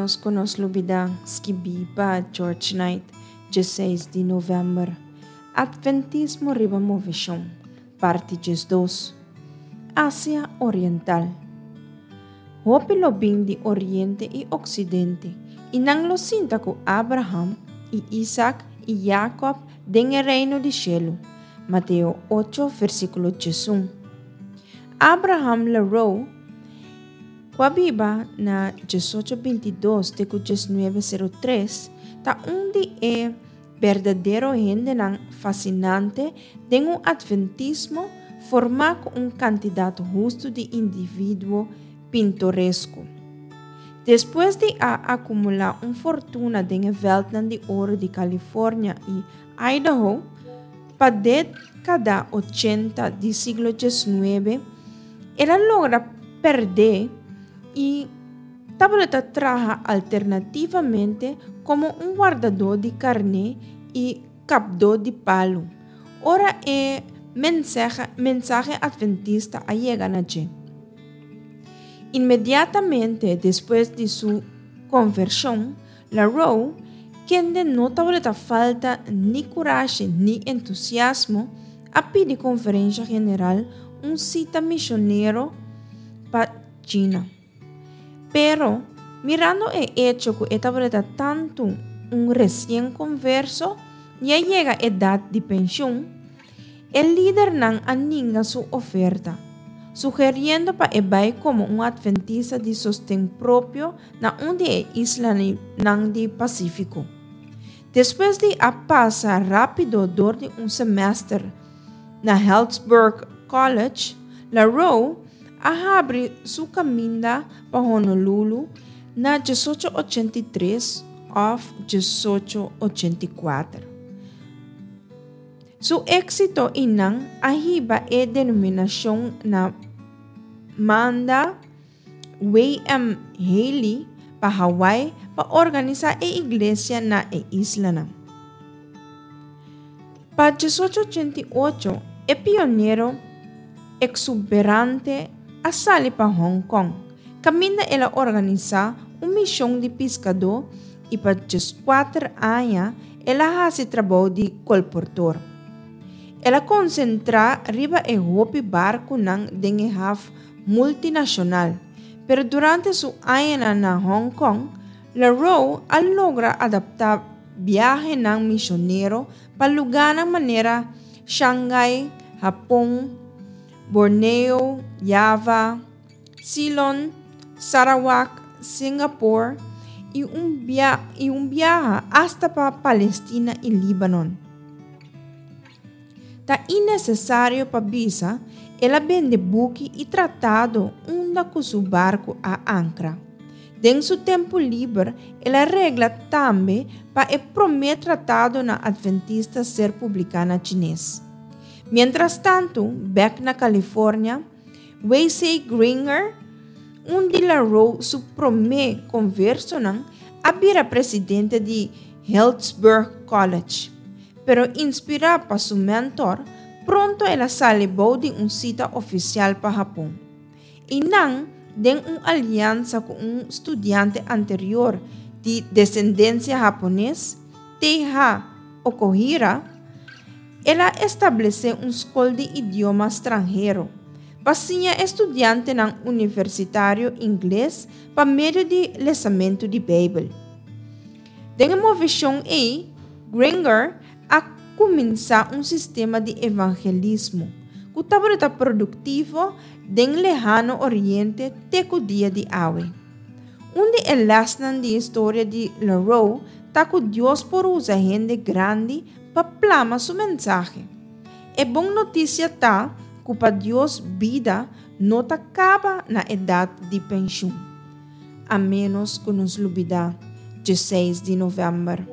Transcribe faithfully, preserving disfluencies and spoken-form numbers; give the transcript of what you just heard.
Ménos ku nos lubidá, skibí pa George Knight, diesseis di novèmber. Atventismo riba moveshon, parti diesdos. Asia Oriental. Hopi lo bin di oriente i oksidente, i nan lo sinta ku Abraham i Isaac i Jacob den e reino di shelu. Mateo ocho, versíkulo diesun. Abraham LaRoe, ku a biba na diesocho bintidos te ku diesnuebe sero tres, ta un di e berdadero hendenan fasinante den un atventismo formá ku un kantidat hustu di individuo pintoresko. Despues di a akumulá un fortuna den e vèltnan di oro di California i Idaho, pa dékada ochenta di siglo diesnuebe, el a logra pèrdè i tabata traha alternativamente komo un wardadó di karné i kapdó di palu, ora e mensahe atventista a yega na dje. Inmediatamente despues di su konvershon, LaRoe, kende no tabata falta ni kurashi ni entusiasmo, a pidi Konferensha General un sita mishonero pa China. Pero, mirando e echo ku e tabata tantu un resien konverso i a yega edat di penshun, e lidernan a ninga su oferta, sugeriendo pa e bai komo un atventista di sosten propio na un di e islanan di Pasífiko. Despues di a pasa rápido dor di un semester na Healdsburg College, LaRoe a habri su kaminda pa Honolulu na diesocho ochenta i tres òf diesocho ochenta i kuater. Su éksito einan a hiba e denominashon na manda W M Haley pa Hawaii pa organisá e iglesia na e islanan. Pa diesocho ochenta i ocho, e pionero eksuberante a sali pa Hong Kong, kaminda el a organisá un mishon di piskadó i pa dieskuater aña el a hasi trabou di kolportor. El a konsentrá riba e hopi barkunan den e haf multinashonal, pero durante su añanan na Hong Kong, LaRoe a logra adaptá biahenan mishonero pa lugánan manera Shanghai, Hapon, Borneo, Java, Ceylon, Sarawak, Singapore i un bia i un biaha asta pa Palestina i Libanon. Ta innesesario pa bisa, el a bende buki i tratado unda ku su barku a ankra. Den su tempu liber el a regla tambe pa e promé tratadonan atventista ser publiká na chines. Miéntras tantu, bèk na California, W C Gringer, un di LaRoe su promé konversonan, a bira presidente di Healdsburg College. Pero inspirá pa su mentor, pronto el a sali bou di un sita ofisial pa Hapon. Einan, den un aliansa ku un studiante anterior di desendensia hapones, T H Okuhira, el a establesé un skol di idioma stranhero pa siña e studiantenan universitario ingles pa medio di lesamentu di Beibel. Den e moveshon ei, Gringer a kuminsá un sistema di evangelismo ku tabata produktivo den Lehano Oriente te ku dia di awe. Un di e lèsnan di historia di LaRoe ta ku Dios por usa hende grandi pa plama su mensahe. E bon notisia ta ku pa Dios bida no ta kaba na edat di penshun, a ménos ku nos lubidá diesseis di novèmber.